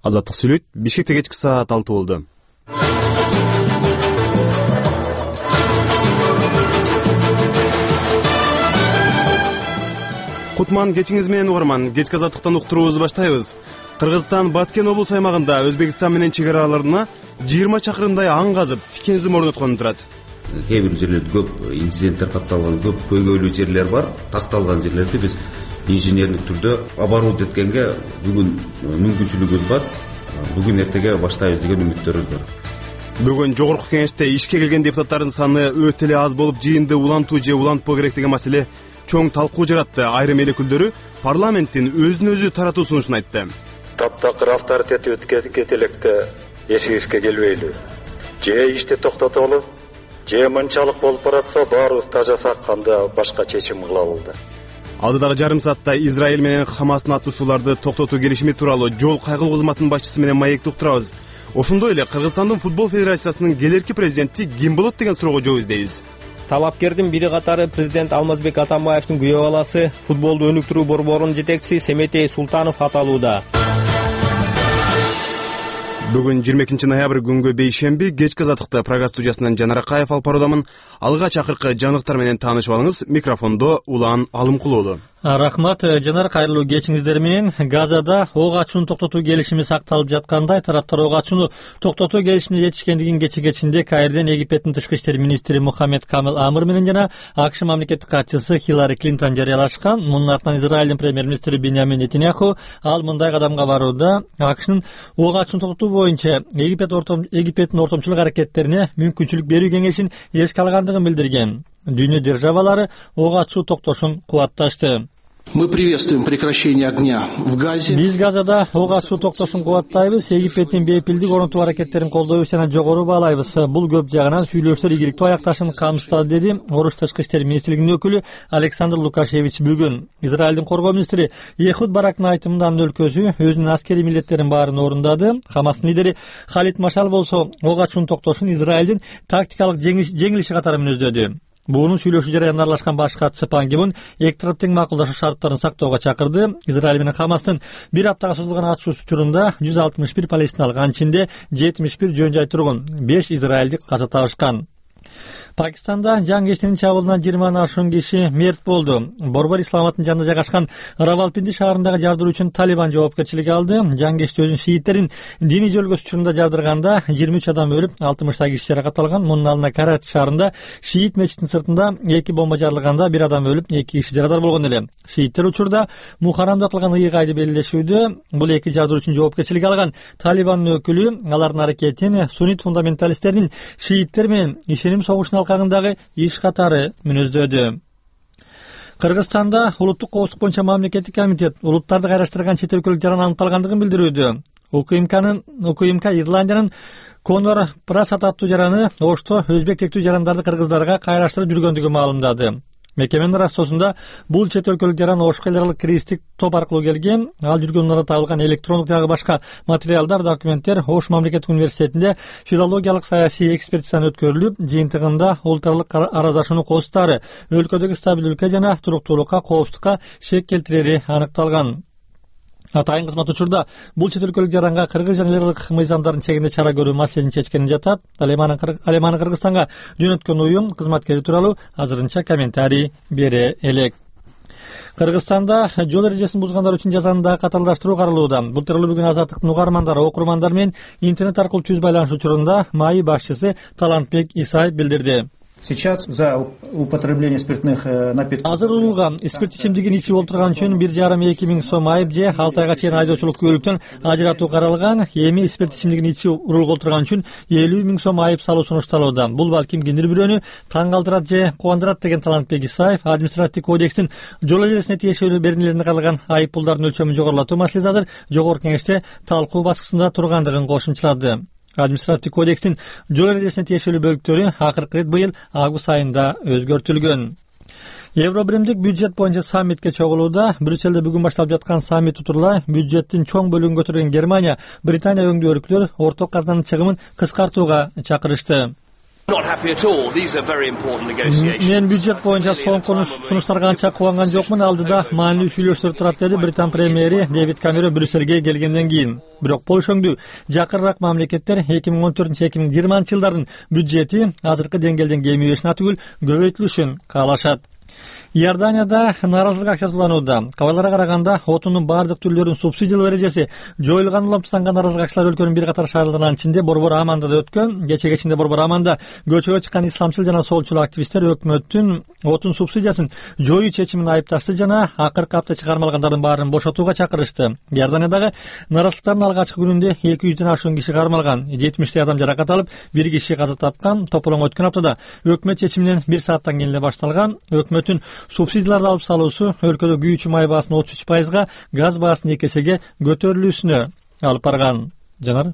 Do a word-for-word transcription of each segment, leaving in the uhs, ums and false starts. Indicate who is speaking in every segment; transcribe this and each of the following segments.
Speaker 1: Азаттык сүйлөйт. Бишкекте кечки саат алты болду. Кутман кечиңиз менен угарман. Кечки азаттыктан уктуруубузду баштайбыз. Кыргызстан Баткен облус аймагында Өзбекстан менен чек ара араларына жыйырма чакырымдай аң казып, тикензим орноткон турат.
Speaker 2: Кээ бир жерлерде көп инциденттер катталган, көп көйгөйлүү жерлер бар. Такталган жерлерди биз инженерлик түрдө оборудовать эткенге бүгүн мүмкүнчүлүгүбүз бар. Бүгүн эртеге баштайбыз деген үмүттөрүбүз бар.
Speaker 1: Бүгүн жогорку кеңеште ишке келген депутаттардын саны өтө эле аз болуп, жыйынды улантуу же улантпоо керек деген маселе чоң талкуу жаратты. Айрым эл өкүлдөрү парламенттин өзүн өзү таратуу сунушун айтты.
Speaker 3: Таптакыр авторитет өткөзүп электе эшигибизге келбейлүү. Же ишти токтотолу, же мынчалык болуп баратса баарыбыз тажасак кандай башка чечим кыла алды.
Speaker 1: Алдыдагы жарым саатта Израиль менен Хамастын атышууларды токтотуу келишими тууралуу жол кайгылуу кызматынын башчысы менен маекти уктурабыз. Ошондой эле Кыргызстандын футбол федерациясынын келерки президенти ким болот деген суроого жооп издейбиз.
Speaker 4: Талапкердин бири катары президент Алмазбек Атамбаевдин күйөө баласы, футболду өнүктүрүү борборунун жетекчиси Семетей Султанов аталууда.
Speaker 1: Бүгүн жыйырма экинчи ноябрь күнгө бейшемби кечки азаттыкта программа студиясынан Жанар Акаев алып баруудамын. Алга чакыркы жаңылыктар менен таанышып алыңыз. Микрофондо Улан Алымкулуулу.
Speaker 4: Рахмат, Жанар, кайрылуу кечиңиздер менен. Газада ок ачууну токтотуу келишими сакталып жаткандай, тараптар ок ачууну токтотуу келишимине жетишкендигин кече кечинде Каирден Египеттин тышкы иштер министри Мухаммед Камил Амыр менен жана АКШ мамлекеттик катчысы Хиллари Клинтон жарыялашкан. Мунун артынан Израилдин премьер-министри Биньямин Нетаньяху ал мындай кадамга барууда. АКШнын ок ачууну токтотуу боюнча Египет ортом Египеттин ортомчулук аракеттерине мүмкүнчүлүк берүү кеңешин эске алгандыгын билдирген. Дүйнө державалары ок ачуу токтошун кубатташты.
Speaker 5: Мы приветствуем прекращение огня в Газе.
Speaker 4: Биз Газада ок ачуу токтошун кубаттайбыз. Египеттин бейпилдик орнотуу аракеттерин колдойбуз жана жогору баалайбыз. Бул көп жагынан сүйлөшүүлөр ийгиликтүү аякташын камсыздады, деди Оруш тышкы иштер министрлигинин өкүлү Александр Лукашевич бүгүн. Израилдин коргоо министри Ехуд Барактын айтымында анын өлкөсү өзүнүн аскерий милдеттерин баарын орундады. Хамастын лидери Халид Машал болсо ок ачуунун токтошун Израилдин тактикалык жеңилиши катары мүнөздөдү. Буунун сүйлөшүү жараянына аралашкан баш катчысы Пан Ги Мун эки тарап тең макулдашуу шарттарын сактоого чакырды. Израиль менен Хамастын бир аптага созулган атышуусу учурунда жүз алтымыш бир палестиналык, анын ичинде жетимиш бир жөн жай тургун, беш израилдик каза табышкан. Пакистанда жаңгештин чабуулунан жыйырмадан ашуун киши мерт болду. Борбор Исламабадтын жанында жайгашкан Равалпинди шаарындагы жардыруу үчүн Талибан жоопкерчилик алды. Жаңгешти өзүнүн шииттерин диний жөлгөсү учурунда жардырганда жыйырма үч адам өлүп, алтымыштай киши жаракат алган. Мунун алдында Карачи шаарында шиит мечитинин сыртында эки бомба жарылганда бир адам өлүп, эки киши жарадар болгон эле. Шииттер учурда мухарамдатылган ыйгайды белгилешүүдө. Бул эки жардыруу үчүн жоопкерчилик алган Талибандын өкүлү алардын аракетин суннит фундаменталисттердин шииттер менен ишеним согушуна алкагындагы иш катары мүнөздөдү. Кыргызстанда улуттук коопсуздук боюнча мамлекеттик комитет улуттарды кайраштырган чет өлкөлүк жаран аныкталгандыгын билдирүүдө. УКМКнын УКМК Ирландиянын Конор Прасат аттуу жараны Ошто өзбек тектүү жарандарды кыргыздарга кайраштырып жүргөндүгүн маалымдады. Мекеменин растоосунда бул чет өлкөлүк жаран Ошко эл аралык кристик топ аркылуу келген. Ал жүргөндөрдө табылган электрондук жагы башка материалдар, документтер Ош мамлекеттик университетинде филологиялык саясий экспертизаны өткөрүлүп, жыйынтыгында улут аралык араздашууну костары өлкөдөгү стабилдүүлүккө жана туруктуулукка, коопсуздукка шек келтирери аныкталган. Атайын кызмат учурда бул чет өлкөлүк жаранга кыргыз жана эл аралык мыйзамдардын чегинде чара көрүү маселесин чечкени жатат. Алеманы Кыргызстанга жөнөткөн уюм кызматкери тууралуу азырынча комментарий бере элек. Кыргызстанда жол эрежесин бузгандар үчүн жазаны да катарылдаштыруу каралууда. Бул тууралуу бүгүн Азаттыктын угармандары, окурмандар менен интернет аркылуу түз байланыш учурунда МАИ башчысы Талантбек Исаев билдирди.
Speaker 6: Сейчас за употребление спиртных напитков.
Speaker 4: Азыр урулган спирт ичимдигин ичип олтурган үчүн бир жарым эки миң сом айып же алты айга чейин айдоочулук күбөлүктөн ажыратуу каралган. Эми спирт ичимдигин ичип урулга олтурган үчүн элүү миң сом айып салуу сунушталууда. Бул балким кимдир бирөөнү таң калтырат же кубандырат деген Талантбек Исаев административдик кодекстин жол эрежесине тиешелүү беренелерине каралган айып пулдардын өлчөмүн жогорулатуу маселеси азыр жогорку кеңеште талкуу баскычында тургандыгын кошумчалады. Административдик кодекстин жол эрежесине тиешелүү бөлүктөрү акыркы рет быйыл август айында өзгөртүлгөн. Евро биримдик бюджет боюнча саммитке чогулууда. Брюсселде бүгүн башталып жаткан саммит утурула бюджеттин чоң бөлүгүн көтөргөн Германия, Британия өңдүү өлкөлөр орток казынанын чыгымын кыскартууга чакырышты. Мен бюджет боюнча соңку сунуштарга анча кубанган жокмун. Алдыда маанилүү сүйлөштөр турат, деди Британ премьери Дэвид Камерон Брюссельге келгенден кийин. Бирок болушоңду жакырыраак мамлекеттер эки миң он төртүнчү эки миң жыйырманчы жылдардын бюджети азыркы деңгээлден кемибешин түгүл көбөйтүлүшүн каалашат. Иорданияда нааразылык акчасы уланууда. Кабарларга караганда отундун баардык түрлөрүнүн субсидиялоо эрежеси жоюлган уламтынган нааразылык акчалар өлкөнүн бир катар шаарларынын ичинде Борбор Аманда да өткөн. Кече кечинде Борбор Аманда көчөгө чыккан исламчыл жана солчул активисттер өкмөттүн отун субсидиясын жоюу чечимин айыпташты жана акыркы апта чыгармалгандардын баарын бошотууга чакырышты. Иорданиядагы нааразылыктардын алгачкы күнүндө эки жүздөн ашуун киши кармалган, жетимиштей адам жаракат алып, бир киши каза тапкан. Тополоң өткөн аптада өкмөт чечиминен бир сааттан кийин эле башталган. Өкмөттүн субсидияларды алып салуусу өлкөдө күйүүчү май баасын отуз үч пайызга, газ баасын эки эсеге көтөрүлүүсүнө алып барган. Жанар.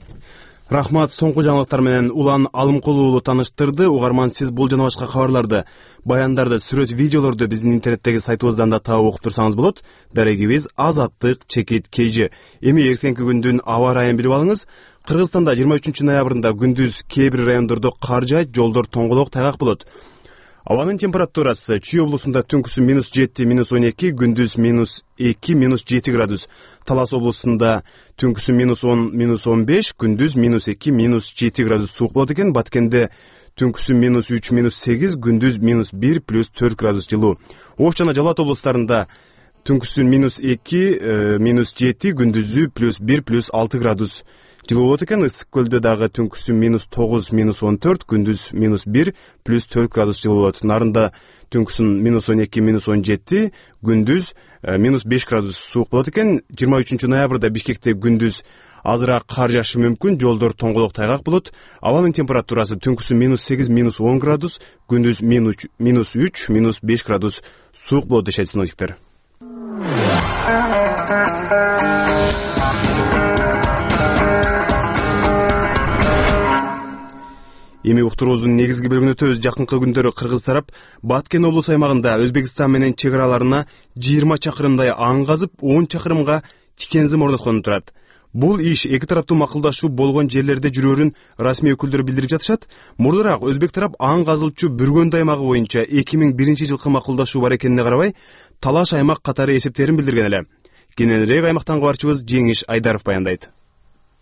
Speaker 1: Рахмат. Соңку жаңылыктар менен Улан Алымкулуу уулу тааныштырды. Угарман, сиз бул жана башка кабарларды, баяндарды, сүрөт, видеолорду биздин интернеттеги сайтыбыздан да таап окуп турсаңыз болот. Дарегибиз Азаттык чекит kg. Эми эртеңки күндүн аба ырайын билип алыңыз. Кыргызстанда жыйырма үчүнчү ноябрында күндүз кээ бир райондордо кар жаайт, жолдор тоңголок, тайгак болот. Абанын температурасы Чүй облусунда түнкүсү минус жети, минус он эки, күндүз минус эки, минус жети градус. Талас облусунда түнкүсү минус он, минус он беш, күндүз минус эки, минус жети градус суук болот экен. Баткенде түнкүсү минус үч, минус сегиз, күндүз минус бир, плюс төрт градус жылуу. Ош жана Жалал Абад облустарында түнкүсү минус эки, минус жети, күндүзү плюс бир, плюс алты градус жылуу болот экен. Ысык көлдө дагы түнкүсү минус тогуз, минус он төрт, күндүз минус бир, плюс төрт градус жылуу болот. Нарында түнкүсүн минус он эки, минус он жети, күндүз минус беш градус суук болот экен. жыйырма үчүнчү ноябрда Бишкекте күндүз азыраак кар жаашы мүмкүн, жолдор тоңголок, тайгак болот. Абанын температурасы түнкүсү минус сегиз, минус он градус, күндүз минус үч, минус беш градус суук болот дешет синоптиктер. Эми уктуруубуздун негизги бөлүгүнө өтөбүз. Жакынкы күндөрү Кыргыз тарап Баткен облус аймагында Өзбекстан менен чек араларына жыйырма чакырымдай аң казып, он чакырымга тикензим орноткон турат. Бул иш эки тараптуу макулдашуу болгон жерлерде жүрөрүн расмий өкүлдөр билдирип жатышат. Мурдараак Өзбек тарап аң казылчу Бүргөндү аймагы боюнча эки миң биринчи жылкы макулдашуу бар экенине карабай, талаш аймак катары эсептерин билдирген эле. Кененирээк аймактан кабарчыбыз Жеңиш Айдаров баяндайт.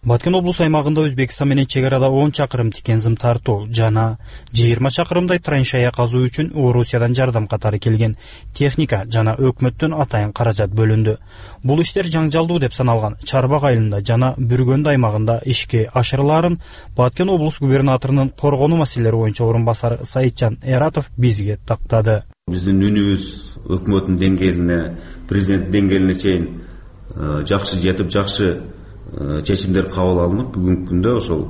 Speaker 7: Баткен облус аймагында Өзбекстан менен чек арада он чакырым тикензим тартуу жана жыйырма чакырымдай траншея казуу үчүн Орусиядан жардам катары келген техника жана өкмөттөн атайын каражат бөлүндү. Бул иштер жаңжалдуу деп саналган Чарбак айылында жана Бүргөнд аймагында ишке ашырылаарын Баткен облус губернаторунун коргонуу маселелери боюнча орун басары Саитжан Эратов бизге тактады.
Speaker 2: Биздин үнүбүз өкмөттүн деңгээлине, президент деңгээлине чейин жакшы жетип, жакшы чечимдер кабыл алынып, бүгүнкү күндө ошол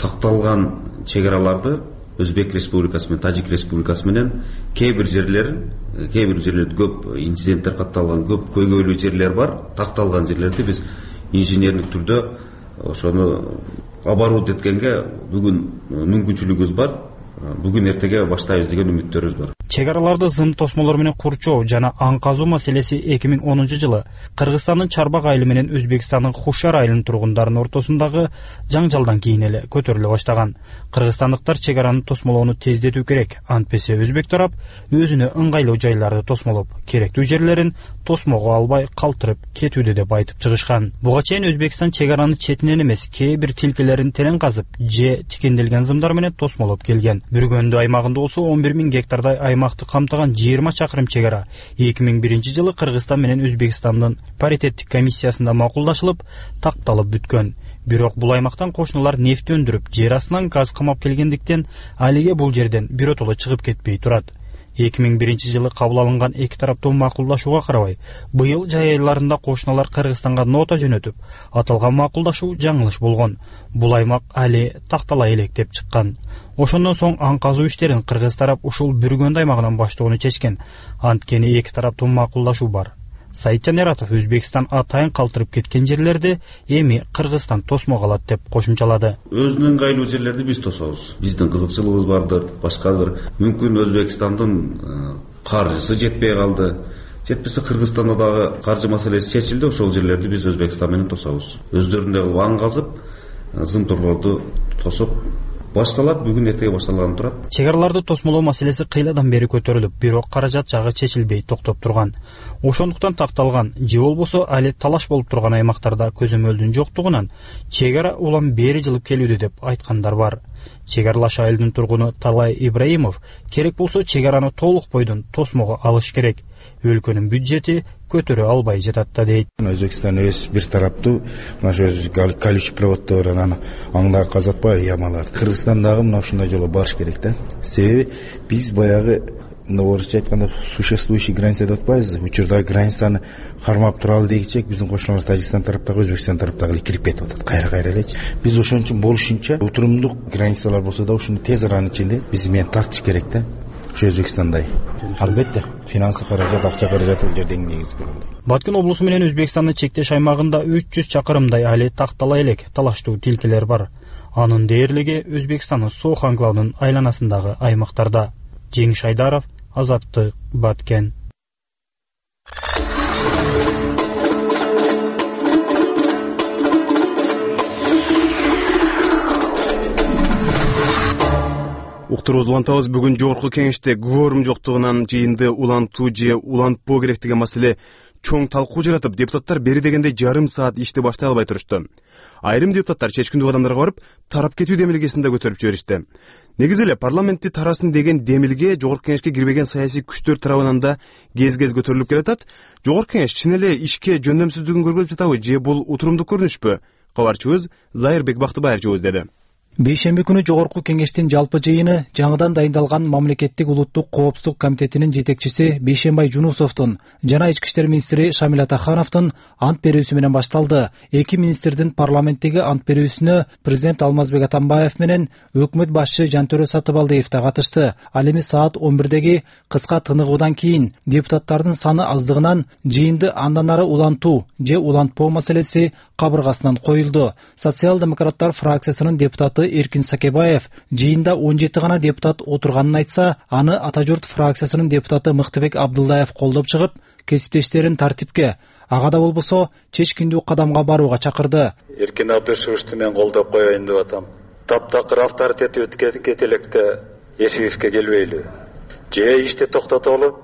Speaker 2: такталган чек араларды Өзбек Республикасы менен Тажик Республикасы менен кээ бир жерлерин, кээ бир жерлерде көп инциденттер катталган, көп көйгөйлүү жерлер бар. Такталган жерлерди биз инженерлик түрдө ошону оборудовать эткенге бүгүн мүмкүнчүлүгүбүз бар. Бүгүн эртеге баштайбыз деген үмүттөрүбүз бар.
Speaker 7: Чек араларды зым тосмолор менен курчоо жана аң казуу маселеси эки миң онунчу жылы Кыргызстандын Чарбак айылы менен Өзбекстандын Хушар айылынын тургундарынын ортосундагы жаңжалдан кийин эле көтөрүлө баштаган. Кыргызстандыктар чек араны тосмолоону тездетүү керек. Антпесе Өзбек тарап өзүнө ыңгайлуу жайларды тосмолоп, керектүү жерлерин тосмого албай калтырып кетүүдө деп айтып чыгышкан. Буга чейин Өзбекстан чек араны четинен эмес, кээ бир тилкелерин терең казып, же тикенделген зымдар менен тосмолоп келген. Бүргөндү аймагында болсо он бир миң гектардай аймакты камтыган жыйырма чакырым чек ара эки миң биринчи жылы Кыргызстан менен Өзбекстандын паритеттик комиссиясында макулдашылып, такталып бүткөн. Бирок бул аймактан кошуналар нефть өндүрүп, жер астынан газ камап келгендиктен алиге бул жерден биротоло чыгып кетпей турат. эки миң биринчи жылы кабыл алынган эки тараптуу макулдашууга карабай, быйыл жай айларында кошуналар Кыргызстанга нота жөнөтүп, аталган макулдашуу жаңылыш болгон. Бул аймак али тактала элек деп чыккан. Ошондон соң аң казуу иштерин Кыргыз тарап ушул Бүргөнд аймагынан баштоону чечкен. Анткени эки тараптуу макулдашуу бар. Саитжан Эратов Өзбекстан атайын калтырып кеткен жерлерди эми Кыргызстан тосмого алат деп кошумчалады.
Speaker 2: Өзүнүн ыңгайлуу жерлерди биз тособуз. Биздин кызыкчылыгыбыз бардыр, башкадыр. Мүмкүн Өзбекстандын каржысы жетпей калды. Жетпесе Кыргызстанда дагы каржы маселеси чечилди, ошол жерлерди биз Өзбекстан менен тособуз. Өздөрүндөй кылып аң казып, зымторлорду тосуп башталат, бүгүн эртеге башталганы турат.
Speaker 7: Чек араларды тосмолоо маселеси кыйладан бери көтөрүлүп, бирок каражат жагы чечилбей токтоп турган. Ошондуктан такталган же болбосо али талаш болуп турган аймактарда көзөмөлдүн жоктугунан чек ара улам бери жылып келүүдө деп айткандар бар. Чек аралаш айылдын тургуну Талай Ибраимов керек болсо чек араны толук бойдон тосмого алыш керек. Өлкөнүн бюджети көтөрө албай жатат да дейт.
Speaker 8: Өзбекстан өз бир тараптуу мына ошо колючий проводдор анан аңдагы казатпай ямалар. Кыргызстан дагы мына ушундай жолго барыш керек да. Себеби биз баягы орусча айтканда существующий граница деп атпайбызбы? Учурдагы границаны кармап туралы дегичек биздин кошуналар Тажикстан тараптагы, Өзбекстан тараптагы эле кирип кетип атат. Кайра-кайра элечи. Биз ошон үчүн болушунча утурумдук границалар болсо да ушуну тез аранын ичинде биз менен тартыш керек да. Ошо Өзбекстандай. Албетте, финансы каражат, акча каражаты бул жерде эң негизги болгон.
Speaker 7: Баткен облусу менен Өзбекстандын чектеш аймагында үч жүз чакырымдай али тактала элек талаштуу тилкелер бар. Анын дээрлиги Өзбекстандын Соох анклавынын айланасындагы аймактарда. Жеңиш Айдаров, Азаттык, Баткен.
Speaker 1: Уктуруубузду улантабыз. Бүгүн жогорку кеңеште кворум жоктугунан жыйынды улантуу же улантпоо керек деген маселе чоң талкуу жаратып, депутаттар бери дегенде жарым саат ишти баштай албай турушту. Айрым депутаттар чечкиндүү кадамдарга барып, тарап кетүү демилгесин да көтөрүп жиберишти. Негизи эле парламентти тарасын деген демилге жогорку кеңешке кирбеген саясий күчтөр тарабынан да кез-кез көтөрүлүп келатат. Жогорку кеңеш чын эле ишке жөндөмсүздүгүн көргөзүп жатабы же бул утурумдуу көрүнүшпү? Кабарчыбыз Зайырбек Бактыбаев жооз деди.
Speaker 9: Бейшемби күнү жогорку кеңештин жалпы жыйыны жаңыдан дайындалган мамлекеттик улуттук коопсуздук комитетинин жетекчиси Бейшембай Жунусовдун жана ички иштер министри Шамил Атахановдун ант берүүсү менен башталды. Эки министрдин парламенттеги ант берүүсүнө президент Алмазбек Атамбаев менен өкмөт башчы Жантөрө Сатыбалдиев да катышты. Ал эми саат он бирдеги кыска тыныгуудан кийин депутаттардын саны аздыгынан жыйынды андан ары улантуу же улантпоо маселеси кабыргасынан коюлду. Социал-демократтар фракциясынын депутаты Эркин Сакебаев жыйында он жети гана депутат отурганын айтса, аны Ата журт фракциясынын депутаты Мыктыбек Абдылдаев колдоп чыгып, кесиптештерин тартипке, ага да болбосо чечкиндүү кадамга барууга чакырды.
Speaker 3: Эркин Абдышевичти мен колдоп коеюн деп атам. Таптакыр авторитети кете электе эсибизге келбейлү. Же ишти токтотолу,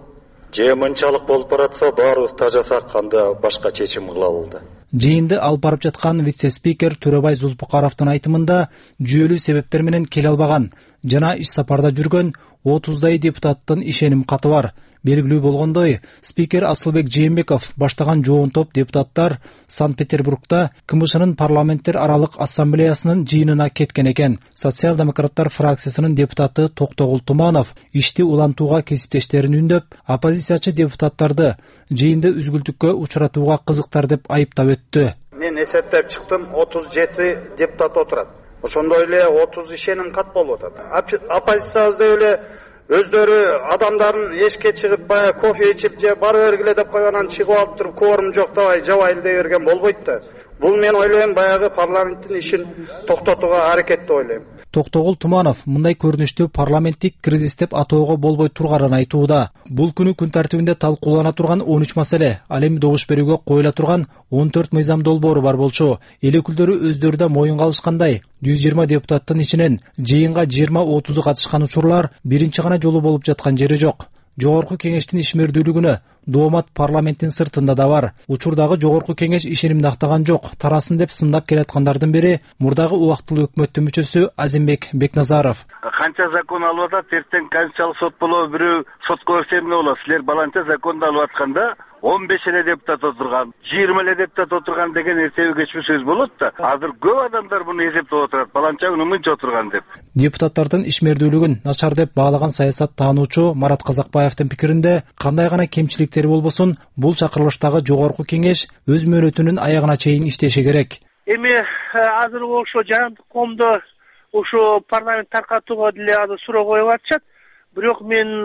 Speaker 3: же мынчалык болуп баратса баарыбыз тажасак анда башка чечим кылалы да.
Speaker 9: Жыйынды алып барып жаткан вице-спикер Төрөбай Зулпукаровдун айтымында жүйөлүү себептер менен келе албаган жана иш сапарда жүргөн отуздай депутаттын ишеним каты бар. Белгилүү болгондой, спикер Асылбек Жээнбеков баштаган жоон топ депутаттар Санкт-Петербургда КМШнын парламенттер аралык ассамблеясынын жыйынына кеткен экен. Социал-демократтар фракциясынын депутаты Токтогул Туманов ишти улантууга кесиптештерин үндөп, оппозициячы депутаттарды жыйынды үзгүлтүккө учуратууга кызыктар деп айыптап өттү.
Speaker 10: Мен эсептеп чыктым, отуз жети депутат отурат. Ошондой эле отуз ишеним кат болуп атат. Оппозициябызда эле өздөрү адамдарын эшикке чыгып баягы кофе ичип же бара бергиле деп койгонан чыгып алып туруп кворум жок дабай жабайлы дей берген болбойт да. Бул мен ойлойм баягы парламенттин ишин токтотууга аракет деп ойлойм.
Speaker 9: Токтогул Туманов мындай көрүнүштү парламенттик кризис деп атоого болбой турганын айтууда. Бул күнү күн тартибинде талкуулана турган он үч маселе, ал эми добуш берүүгө коюла турган он төрт мыйзам долбоору бар болчу. Эл өкүлдөрү өздөрү да моюнга алышкандай, жүз жыйырма депутаттын ичинен жыйынга жыйырма отузу катышкан учурлар биринчи гана жолу болуп жаткан жери жок. Жогорку кеңештин ишмердүүлүгүнө доомат парламенттин сыртында да бар. Учурдагы жогорку кеңеш ишенимди актаган жок, тарасын деп сындап келаткандардын бири мурдагы убактылуу өкмөттүн мүчөсү Азимбек Бекназаров.
Speaker 11: Канча закон алып атат, эртең канчалык сот болобу, бирөө сотко берсе эмне болот? Силер баланча законду алып атканда он беш эле депутат отурган, жыйырма эле депутат отурган деген эртеби кечпи сөз болот да. Азыр көп адамдар муну эсептеп отурат, баланча күнү мынча отурган деп.
Speaker 9: Депутаттардын ишмердүүлүгүн начар деп баалаган саясат таануучу Марат Казакбаевдин пикиринде, кандай гана кемчиликтери болбосун, бул чакырылыштагы жогорку кеңеш өз мөөнөтүнүн аягына чейин иштеши керек.
Speaker 12: Эми азыр ошо жаһандык коомдо ошо парламент таркатууга деле азыр суроо коюп атышат. Бирок мен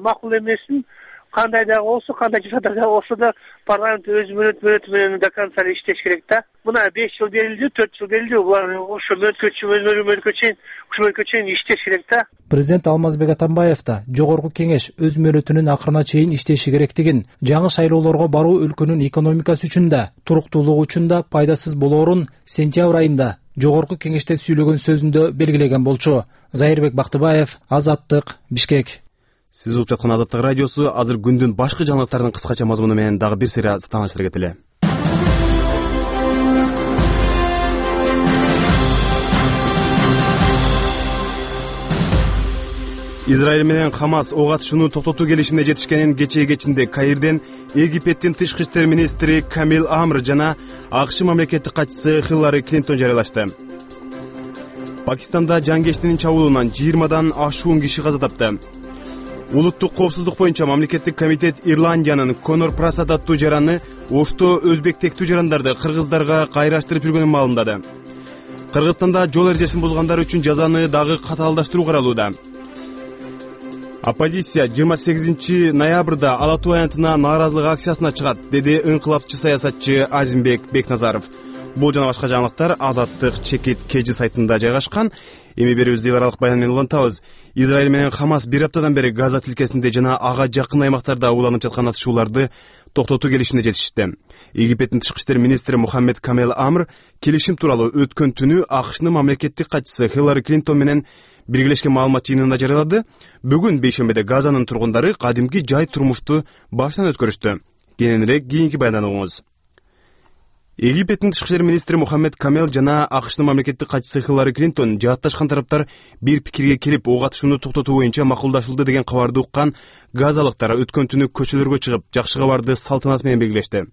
Speaker 12: макул эмесин, кандай да болсо, кандай жашада да болсо да парламент өз мөөнөтү менен до конца иштеш керек да. Мына беш жыл берилди, төрт жыл берилди, булар ошо мөөнөткө чейин, ошо мөөнөткө чейин иштеш керек да.
Speaker 9: Президент Алмазбек Атамбаев да жогорку кеңеш өз мөөнөтүнүн акырына чейин иштеши керектигин, жаңы шайлоолорго баруу өлкөнүн экономикасы үчүн да, туруктуулугу үчүн да пайдасыз болоорун сентябрь айында жогорку кеңеште сүйлөгөн сөзүндө белгилеген болчу. Зайырбек Бактыбаев, Азаттык, Бишкек.
Speaker 1: Сиз угуп жаткан Азаттык радиосу. Азыр күндүн башкы жаңылыктарынын кыскача мазмуну менен дагы бир сыйра тааныштыра кетели. Израиль менен Хамас ок атышууну токтотуу келишимине жетишкенин кечээ кечинде Каирден Египеттин тышкы иштер министри Камил Амр жана АКШ мамлекеттик катчысы Хиллари Клинтон жарыялашты. Пакистанда жангештинин чабуулунан жыйырмадан ашуун киши каза тапты. Улуттук коопсуздук боюнча мамлекеттик комитет Ирландиянын Конор Прасад аттуу жараны Ошто өзбек тектүү жарандарды кыргыздарга кайраштырып жүргөнүн маалымдады. Кыргызстанда жол эрежесин бузгандар үчүн жазаны дагы катаалдаштыруу каралууда. Оппозиция жыйырма сегизинчи ноябрда Ала Тоо аянтына нааразылык акциясына чыгат, деди ыңкылапчы саясатчы Азимбек Бекназаров. Бул жана башка жаңылыктар Азаттык чекит кежи сайтында жайгашкан. Эми берүүбүздү эл аралык баян менен улантабыз. Израиль менен Хамас бир аптадан бери Газа тилкесинде жана ага жакын аймактарда уланып жаткан атышууларды токтотуу келишимине жетишти. Египеттин тышкы иштер министри Мухаммед Камел Амр келишим тууралуу өткөн түнү АКШнын мамлекеттик катчысы Хиллари Клинтон менен биргелешкен маалымат жыйынында жарыялады. Бүгүн бейшембиде Газанын тургундары кадимки жай турмушту баштан өткөрүштү. Кененирээк кийинки баяндан угуңуз. Египеттин тышкы иштер министри Мухаммед Камел жана АКШнын мамлекеттик катчысы Хиллари Клинтон жаатташкан тараптар бир пикирге келип ок атышууну токтотуу боюнча макулдашылды деген кабарды уккан газалыктар өткөн түнү көчөлөргө чыгып, жакшы кабарды салтанат менен белгилешти.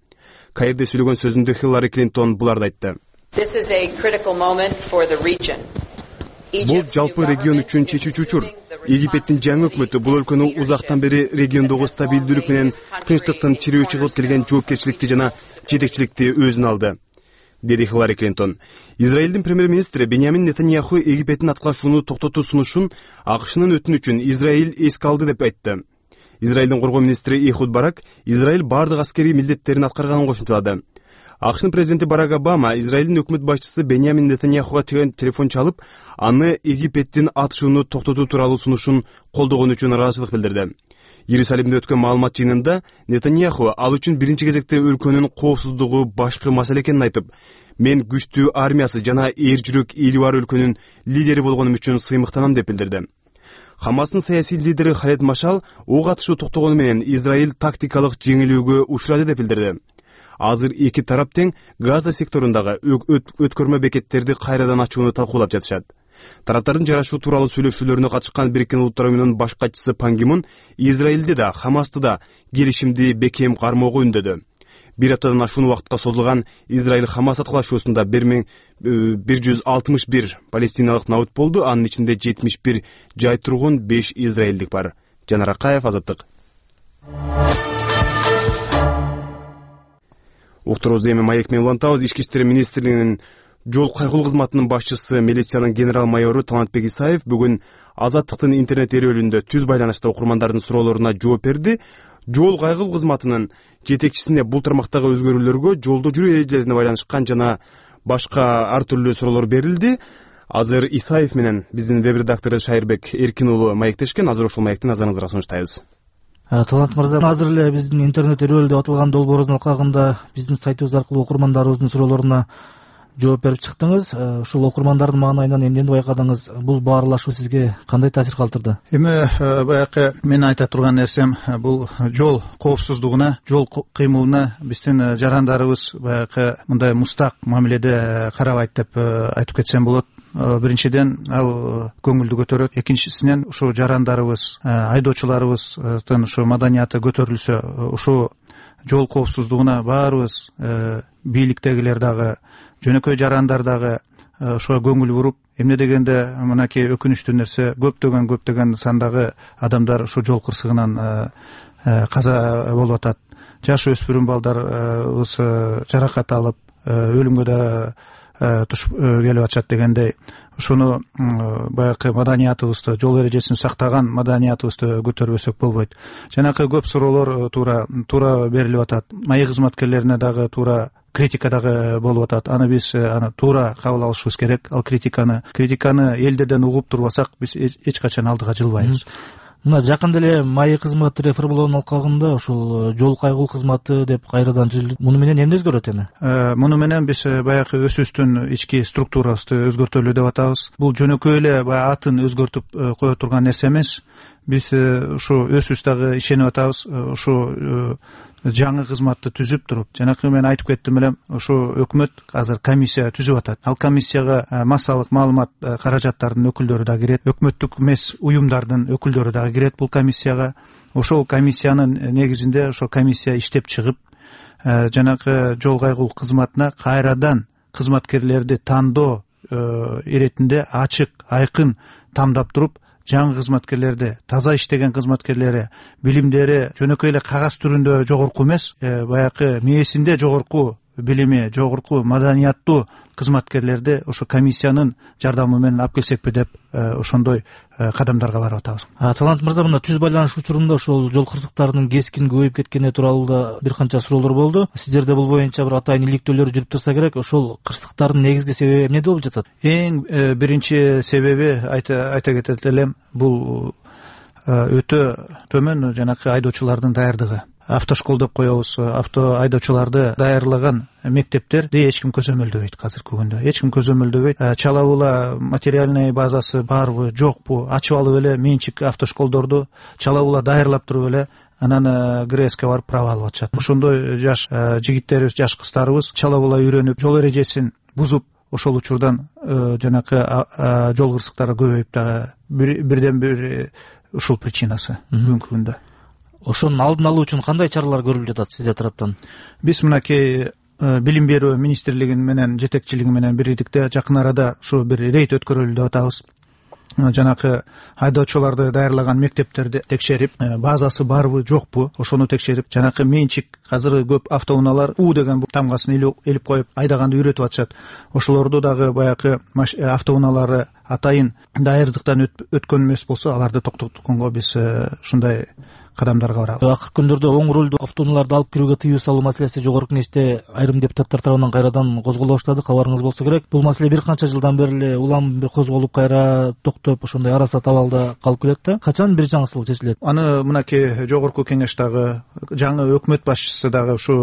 Speaker 1: Каирде сүйлөгөн сөзүндө Хиллари Клинтон буларды айтты. Бул жалпы регион үчүн чечүүчү учур. Египеттин жаңы өкмөтү бул өлкөнү узактан бери региондогу стабилдүүлүк менен тынчтыктын чирөөчү кылып келген жоопкерчиликти жана жетекчиликти өзүнө алды, деди Хиллари Клинтон. Израилдин премьер-министри Беньямин Нетаньяху Египеттин аткылашууну токтотуу сунушун АКШнын өтүнүчүн Израиль эске алды деп айтты. Израилдин коргоо министри Эхуд Барак Израиль бардык аскерий милдеттерин аткарганын кошумчалады. АКШнын президенти Барак Обама Израилдин өкмөт башчысы Беньямин Нетаньяхуга телефон чалып, аны Египеттин атышууну токтотуу тууралуу сунушун колдогон үчүн ыраазычылык билдирди. Иерусалимде өткөн маалымат жыйынында Нетаньяху ал үчүн биринчи кезекте өлкөнүн коопсуздугу башкы маселе экенин айтып, мен күчтүү армиясы жана эр жүрөк эли бар өлкөнүн лидери болгонум үчүн сыймыктанам деп билдирди. Хамастын саясий лидери Халед Машал ок атышуу токтогону менен Израиль тактикалык жеңилүүгө учурады деп билдирди. Азыр эки тарап тең Газа секторундагы өткөрмө бекеттерди кайрадан ачууну талкуулап жатышат. Тараптардын жарашуу тууралуу сүйлөшүүлөрүнө катышкан Бириккен Улуттар Уюмунун баш катчысы Пан Ги Мун Израилди да, Хамасты да келишимди бекем кармоого үндөдү. Бир аптадан ашуун убакытка созулган Израиль-Хамас аткылашуусунда бир жүз алтымыш бир палестиналык набыт болду, анын ичинде жетимиш бир жай тургун, беш израилдик бар. Жанар Акаев, Азаттык. Уктуруубузду эми маек менен улантабыз. Ички иштер министрлигинин жол кайгылуу кызматынын башчысы, милициянын генерал-майору Талантбек Исаев бүгүн Азаттыктын интернет эрөөлүндө түз байланышта окурмандардын суроолоруна жооп берди. Жол кайгылуу кызматынын жетекчисине бул тармактагы өзгөрүүлөргө, жолдо жүрүү эрежелерине байланышкан жана башка ар түрлүү суроолор берилди. Азыр Исаев менен биздин веб редактору Шайырбек Эркин уулу маектешкен. Азыр ушул маекти назарыңызга сунуштайбыз.
Speaker 4: Талант мырза, азыр эле биздин интернет эрөөлдө деп аталган долбооруңуздун алкагында биздин сайтыбыз аркылуу окурмандарыбыздын суроолоруна жооп берип чыктыңыз. Ушул окурмандардын маанайынан эмнени байкадыңыз? Бул баарлашуу сизге кандай таасир калтырды?
Speaker 6: Эми баягы мен айта турган нерсем, бул жол коопсуздугуна, жол кыймылына биздин жарандарыбыз баягы мындай мустак мамиледе карабайт деп айтып кетсем болот. Биринчиден ал көңүлдү көтөрөт, экинчисинен ушу жарандарыбыз, айдоочуларыбыздын ушу маданияты көтөрүлсө, ушу жол коопсуздугуна баарыбыз бийликтегилер дагы, жөнөкөй жарандар дагы ошого көңүл буруп, эмне дегенде мынакей өкүнүчтүү нерсе, көптөгөн көптөгөн сандагы адамдар ушу жол кырсыгынан каза болуп атат. Жаш өспүрүм балдарыбыз жаракат алып, өлүмгө да туш келип атышат дегендей, ушуну баягы маданиятыбызды, жол эрежесин сактаган маданиятыбызды көтөрбөсөк болбойт. Жанакы көп суроолор туура туура берилип атат. Маек кызматкерлерине дагы туура критика дагы болуп атат. Аны биз аны туура кабыл алышыбыз керек. Ал критиканы критиканы элдерден угуп турбасак, биз эч качан алдыга жылбайбыз.
Speaker 7: мына жакында эле маек кызматы реформалоонун алкагында ушул жол кайгыл кызматы деп кайрадан түзүлдү. Муну менен эмне өзгөрөт эми?
Speaker 6: Муну менен биз баягы өсүбүздүн ички структурабызды өзгөртөлү деп атабыз. Бул жөнөкөй эле баягы атын өзгөртүп кое турган нерсе эмес. Биз ушу өсүбүз дагы ишенип атабыз. Ушу жаңы кызматты түзүп туруп, жанакы мен айтып кеттим элем, ушу өкмөт азыр комиссия түзүп атат. Ал комиссияга массалык маалымат каражаттарынын өкүлдөрү да кирет, өкмөттүк эмес уюмдардын өкүлдөрү дагы кирет бул комиссияга. Ошол комиссиянын негизинде ошол комиссия иштеп чыгып, жанакы жол кайгыл кызматына кайрадан кызматкерлерди тандоо иретинде ачык, айкын тамдап туруп, жаңы кызматкерлерди, таза иштеген кызматкерлери, билимдери жөнөкөй эле кагаз түрүндө жогорку эмес, баягы мээсинде жогорку билими, жогорку маданияттуу кызматкерлерди ошо комиссиянын жардамы менен алып келсекпи деп ошондой кадамдарга барып атабыз.
Speaker 7: Талант мырза, мына түз байланыш учурунда ошол жол кырсыктарынын кескин көбөйүп кеткени тууралуу да бир канча суроолор болду. Сиздерде бул боюнча бир атайын иликтөөлөр жүрүп турса керек. Ошол кырсыктардын негизги себеби эмнеде болуп жатат?
Speaker 6: Эң биринчи себеби айта айта кетет элем, бул өтө төмөн жанакы айдоочулардын даярдыгы. Автошкол деп коебуз. Авто айдоочуларды даярлаган мектептерди эч ким көзөмөлдөбөйт азыркы күндө. Эч ким көзөмөлдөбөйт. Чалабула материальный базасы барбы, жокпу? Ачып алып эле менчик автошколдорду чалабула даярлап туруп эле анан ГРСке барып права алып атышат. Ошондой жаш жигиттерибиз, жаш кыздарыбыз чалабула үйрөнүп, жол эрежесин бузуп, ошол учурдан жанакы жол кырсыктары көбөйүп дагы бирден бир ушул причинасы бүгүнкү күндө.
Speaker 7: Ошонун алдын алуу үчүн кандай чаралар көрүлүп жатат сиздер тараптан?
Speaker 6: Биз мынакей билим берүү министрлиги менен жетекчилиги менен бирликте жакын арада ушу бир рейд өткөрөлү деп атабыз. Жанакы айдоочуларды даярлаган мектептерди текшерип, базасы барбы, жокпу, ошону текшерип, жанакы менчик азыр көп автоунaalар У деген тамгасын илип коюп айдаганды үйрөтүп атышат. Ошолорду дагы баягы автоунаалары атайын даярдыктан өткөн эмес болсо, аларды токтотконго биз ушундай кадамдарга барабыз.
Speaker 7: Акыркы күндөрдө оң рулду автоунааларды алып кирүүгө тыюу салуу маселеси жогорку кеңеште айрым депутаттар тарабынан кайрадан козголо баштады. Кабарыңыз болсо керек. Бул маселе бир канча жылдан бери эле улам бир козголуп, кайра токтоп, ошондой арасат абалда калып келет да. Качан бир жаңысыл чечилет?
Speaker 6: Аны мынакей жогорку кеңеш дагы, жаңы өкмөт башчысы дагы, ушу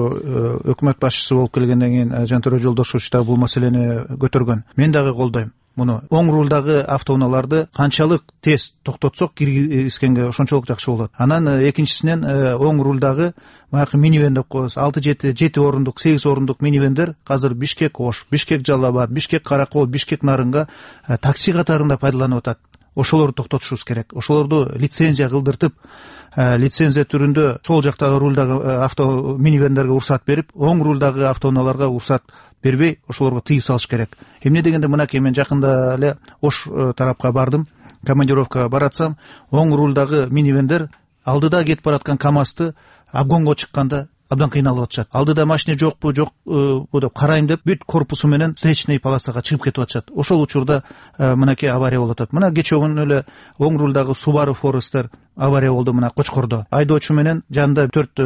Speaker 6: өкмөт башчысы болуп келгенден кийин Жантөрө Жолдошович дагы бул маселени көтөргөн. Мен дагы колдойм муну. Оң рулдагы автоунааларды канчалык тез токтотсок киргизгенге ошончолук жакшы болот. Анан экинчисинен оң рулдагы баягы минивэн деп коебуз, алты жети жети орундук, сегиз орундук минивендер азыр Бишкек Ош, Бишкек Жалал Абад, Бишкек Каракол, Бишкек Нарынга такси катарында пайдаланып атат. Ошолорду токтотушубуз керек. Ошолорду лицензия кылдыртып, лицензия түрүндө сол жактагы рулдагы авто минивендерге уруксат берип, оң рулдагы автоунааларга уруксат бербей, ошолорго тыюу салыш керек. Эмне дегенде, мынакей мен жакында эле Ош тарапка бардым, командировкага баратсам, оң рулдагы минивендер алдыда кетип бараткан КАМАЗды обгонго чыкканда абдан кыйналып атышат. Алдыда машина жокпу, жок деп карайм деп, бүт корпусу менен встречный полосага чыгып кетип атышат. Ошол учурда мынакей авария болуп атат. Мына кечээ күнү эле оң рулдагы Subaru Forester авария болду мына Кочкордо. Айдоочу менен жанында төрт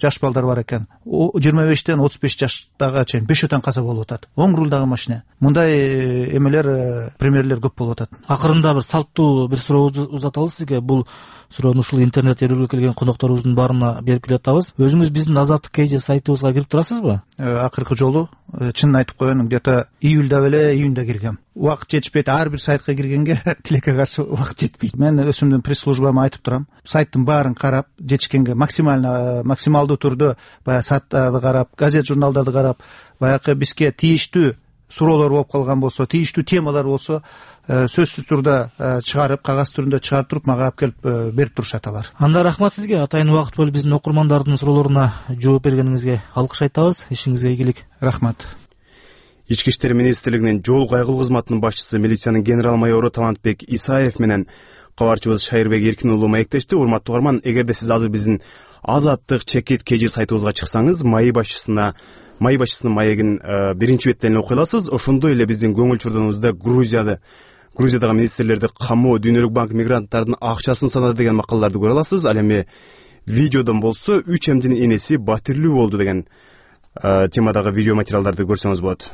Speaker 6: жаш балдар бар экен. жыйырма бештен отуз беш жаштагы чейин бешөөтөн каза болуп атат. Оң рулдагы машина. Мындай эмелер, примерлер көп болуп атат.
Speaker 7: Акырында бир салттуу бир суроо узаталы сизге. Бул суроону ушул интернет эрүүгө келген конокторубуздун баарына берип келатабыз. Өзүңүз биздин Азаттык кей же сайтыбызга кирип турасызбы?
Speaker 6: Акыркы жолу чынын айтып коеюн, где-то июльда беле, июнда киргем. Убакыт жетишпейт. Ар бир сайтка киргенге тилекке каршы убакыт жетпейт. Мен өзүмдүн пресс-службама айтып турам. Сайттын баарын карап, жетишкенге максимально максималдуу түрдө баягы сайттарды карап, газет журналдарды карап, баягы бизге тийиштүү суроолор болуп калган болсо, тийиштүү темалар болсо, сөзсүз түрдө чыгарып, кагаз түрүндө чыгарып туруп мага алып келип берип турушат алар.
Speaker 7: Анда рахмат сизге. Атайын убакыт бөлүп биздин окурмандардын суроолоруна жооп бергениңизге алкыш айтабыз. Ишиңизге ийгилик.
Speaker 6: Рахмат.
Speaker 1: Ички иштер министрлигинин жол кайгыл кызматынын башчысы милициянын генерал майору Талантбек Исаев менен кабарчыбыз Шайырбек Эркин уулу маектешти. Урматтуу угарман, эгерде сиз азыр биздин Азаттык чекит кж сайтыбызга чыксаңыз, май башчысына май башчысынын маегин биринчи беттен окуй аласыз. Ошондой эле биздин көңүл чурдугубузда Грузияда Грузиядагы министрлерди камоо, Дүйнөлүк банк мигранттардын акчасын санады деген макалаларды көрө аласыз. Ал эми видеодон болсо үч эмдин энеси батирлүү болду деген темадагы видео материалдарды көрсөңүз болот.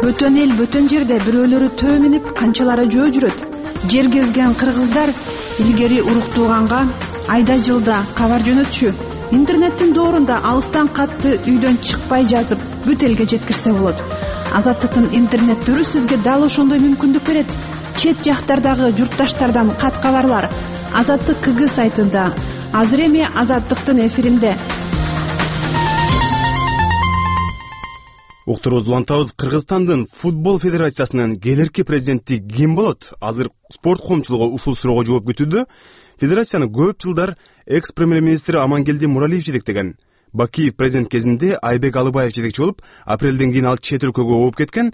Speaker 13: Бөтөн эл, бөтөн жерде бирөөлөрү төө минип, канчалары жөө жүрөт. Жер кезген кыргыздар илгери уруктууганга айда жылда кабар жөнөтчү. Интернеттин доорунда алыстан катты үйдөн чыкпай жазып бүт элге жеткирсе болот. Азаттыктын интернеттөрү сизге дал ошондой мүмкүндүк берет. Чет жактардагы журтташтардан кат кабарлар Азаттык КГ сайтында. Азыр эми Азаттыктын эфиринде.
Speaker 1: Уктуруубузду улантабыз. Кыргызстандын футбол федерациясынын келерки президенти ким болот? Азыр спорт коомчулугу ушул суроого жооп күтүүдө. Федерацияны көп жылдар экс-премьер-министр Амангелди Муралиев жетектеген. Бакиев президент кезинде Айбек Алыбаев жетекчи болуп, апрелден кийин ал чет өлкөгө ооп кеткен.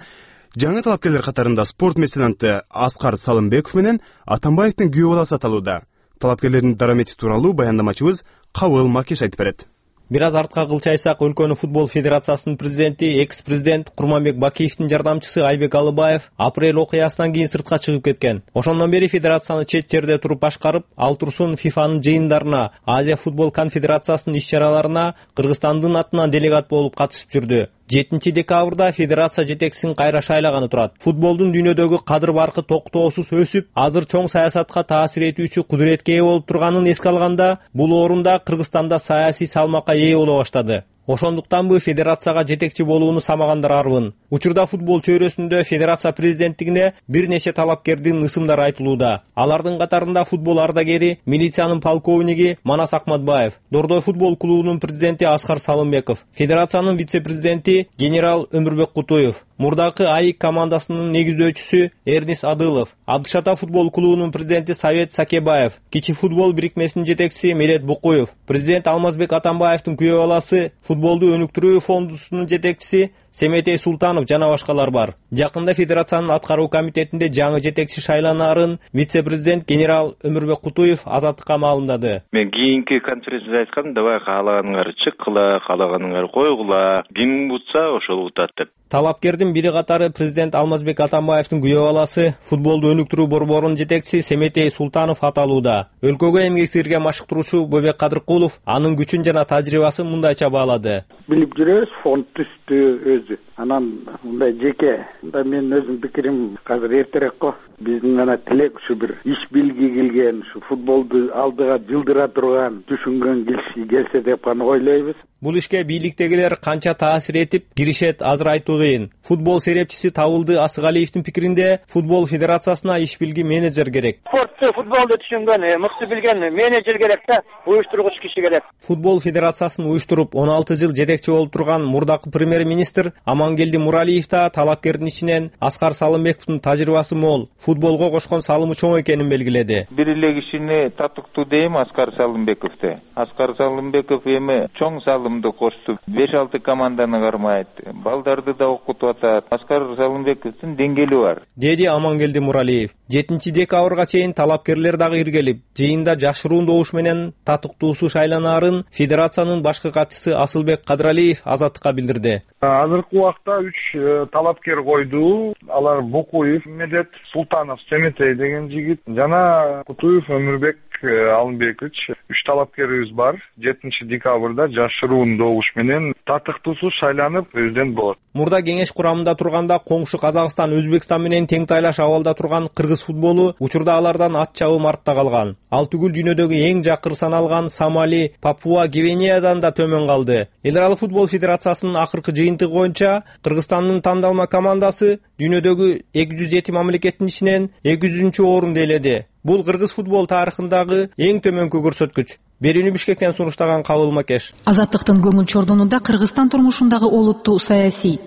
Speaker 1: Жаңы талапкерлер катарында спорт меценаты Аскар Салымбеков менен Атамбаевдин күйөө баласы аталууда. Талапкерлердин дарамети тууралуу баяндамачыбыз Кабыл Макеш айтып берет.
Speaker 14: Бир аз артка кылчайсак, өлкөнүн футбол федерациясынын президенти, экс-президент Курманбек Бакиевдин жардамчысы Айбек Алыбаев апрель окуясынан кийин сыртка чыгып кеткен. Ошондон бери федерацияны чет жерде туруп башкарып, ал турсун ФИФАнын жыйындарына, Азия футбол конфедерациясынын иш-чараларына Кыргызстандын атынан делегат болуп катышып жүрдү. жетинчи декабрда федерация жетекчисин кайра шайлаганы турат. Футболдун дүйнөдөгү кадыр баркы токтоосуз өсүп, азыр чоң саясатка таасир этүүчү кудуретке ээ болуп турганын эске алганда, бул орунда Кыргызстанда саясий салмакка ээ боло баштады. Ошондуктанбы федерацияга жетекчи болууну самагандар арбын. Учурда футбол чөйрөсүндө федерация президенттигине бир нече талапкердин ысымдары айтылууда. Алардын катарында футбол ардагери, милициянын полковниги Манас Акматбаев, Дордой футбол клубунун президенти Аскар Салымбеков, федерациянын вице-президенти генерал Өмүрбек Кутуев, мурдакы АИК командасынын негиздөөчүсү Эрнис Адылов, Абдышата футбол клубунун президенти Совет Сакебаев, Кичи футбол бирикмесинин жетекчиси Мерет Букуев, президент Алмазбек Атамбаевдин күйөө баласы, футболду өнүктүрүү фондусунун жетекчиси Семетей Султанов жана башкалар бар. Жакында федерациянын аткаруу комитетинде жаңы жетекчи шайланаарын вице-президент генерал Өмүрбек Кутуев Азаттыкка маалымдады.
Speaker 15: Мен кийинки конференцияда айткам, давай каалаганыңар чыккыла, каалаганыңар койгула, ким утса ошол утат деп.
Speaker 14: Талапкердин бири катары президент Алмазбек Атамбаевдин күйөө баласы, футболду өнүктүрүү борборунун жетекчиси Семетей Султанов аталууда. Өлкөгө эмгек сиңирген машыктыруучу Бөбек Кадыркулов анын күчүн жана тажрыйбасын мындайча баалады.
Speaker 16: Билип жүрөбүз, фонд түстү өзү. Анан мындай жеке, мындай менин өзүм пикирим азыр эртерээк го. Биздин ана тилек ушу бир иш билги келген, ушу футболду алдыга жылдыра турган, түшүнгөн киши келсе деп гана ойлойбуз.
Speaker 14: Бул ишке бийликтегилер канча таасир этип киришет азыр айтуу кыйын. Футбол серепчиси Табылды Асыгалиевдин пикиринде, футбол федерациясына иш билги менеджер керек.
Speaker 17: Спортты, футболду түшүнгөн, мыкты билген менеджер керек да, уюштургуч киши керек.
Speaker 14: Футбол федерациясын уюштуруп он алты жыл жетекчи болуп турган мурдакы премьер-министр Амангелди Муралиев да талапкердин ичинен Аскар Салымбековдун тажрыйбасы мол, футболго кошкон салымы чоң экенин белгиледи.
Speaker 18: Бир эле кишини татыктуу дейм Аскар Салымбековду. Аскар Салымбеков эми чоң салымды кошту. беш алты команданы кармайт. Балдарды да окутуп атат. Аскар Салымбековдун деңгээли бар,
Speaker 14: деди Амангелди Муралиев. жетинчи декабрга чейин талапкерлер дагы иргелип, жыйында жашыруун добуш менен татыктуусу шайланаарын федерациянын башкы катчысы Асылбек Кадыралиев Азаттыкка билдирди.
Speaker 19: Азыркы убакта үч талапкер койду. Алар Букуев, Медет Султанов, Семетей деген жигит жана Кутуев Өмүрбек Алымбекович. Үч талапкерибиз бар. жетинчи декабрда жашыруун добуш менен татыктуусу шайланып президент болот.
Speaker 14: Мурда кеңеш курамында турганда коңшу Казакстан, Өзбекстан менен тең тайлаш абалда турган кыргыз футболу учурда алардан ат чабым артта калган. Ал түгүл дүйнөдөгү эң жакыр саналган Сомали, Папуа Гвинеядан да төмөн калды. Эл аралык футбол федерациясынын акыркы жыйынтыгы боюнча Кыргызстандын тандалма командасы дүйнөдөгү эки жүз жети мамлекеттин ичинен эки жүзүнчү орунду ээледи. Бул кыргыз футбол тарыхындагы эң төмөнкү көрсөткүч. Берүүнү Бишкектен сунуштаган Кабыл Макеш.
Speaker 13: Азаттыктын көңүл чордонунда Кыргызстан турмушундагы олуттуу саясий.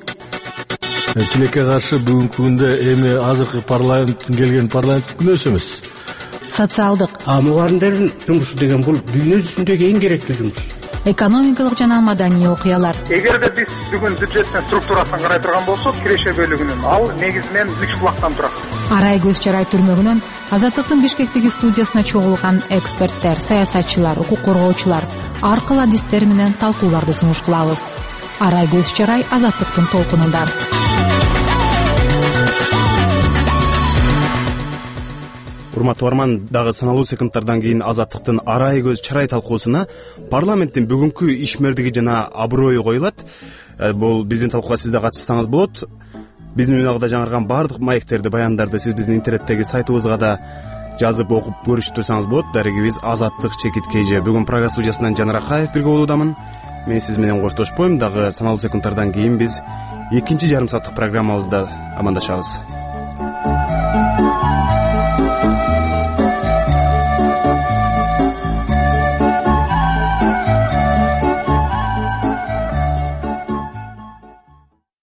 Speaker 20: Тилекке каршы бүгүнкү күндө эми азыркы парламенттин келген парламент күнөөсү эмес.
Speaker 13: Социалдык.
Speaker 21: А мугалимдердин жумушу деген бул дүйнө жүзүндөгү эң керектүү жумуш.
Speaker 13: Экономикалык жана маданий окуялар.
Speaker 10: Эгерде биз бүгүн бюджеттин структурасын карай турган болсок, киреше бөлүгүнүн ал негизинен үч булактан турат.
Speaker 13: Арай көз чарай түрмөгүнөн Азаттыктын Бишкектеги студиясына чогулган эксперттер, саясатчылар, укук коргоочулар ар кыл адистер менен талкууларды сунуш кылабыз. Арай көз чарай Азаттыктын толкунунда.
Speaker 1: Урматтуу барман, дагы саналуу секундтардан кийин Азаттыктын арай көз чарай талкуусуна парламенттин бүгүнкү ишмердиги жана аброю коюлат. Бул биздин талкууга сиз да катышсаңыз болот. биздин үналгыда жаңырган баардык маектерди, баяндарды сиз биздин интернеттеги сайтыбызга да жазып окуп көрүшүп турсаңыз болот. Дарегибиз Азаттык Чекит Кж. Бүгүн программа студиясынан Жанар Акаев бирге болуудамын. Мен сиз менен коштошпойм. Дагы саналуу секундтардан кийин биз экинчи жарым сааттык программабызда амандашабыз.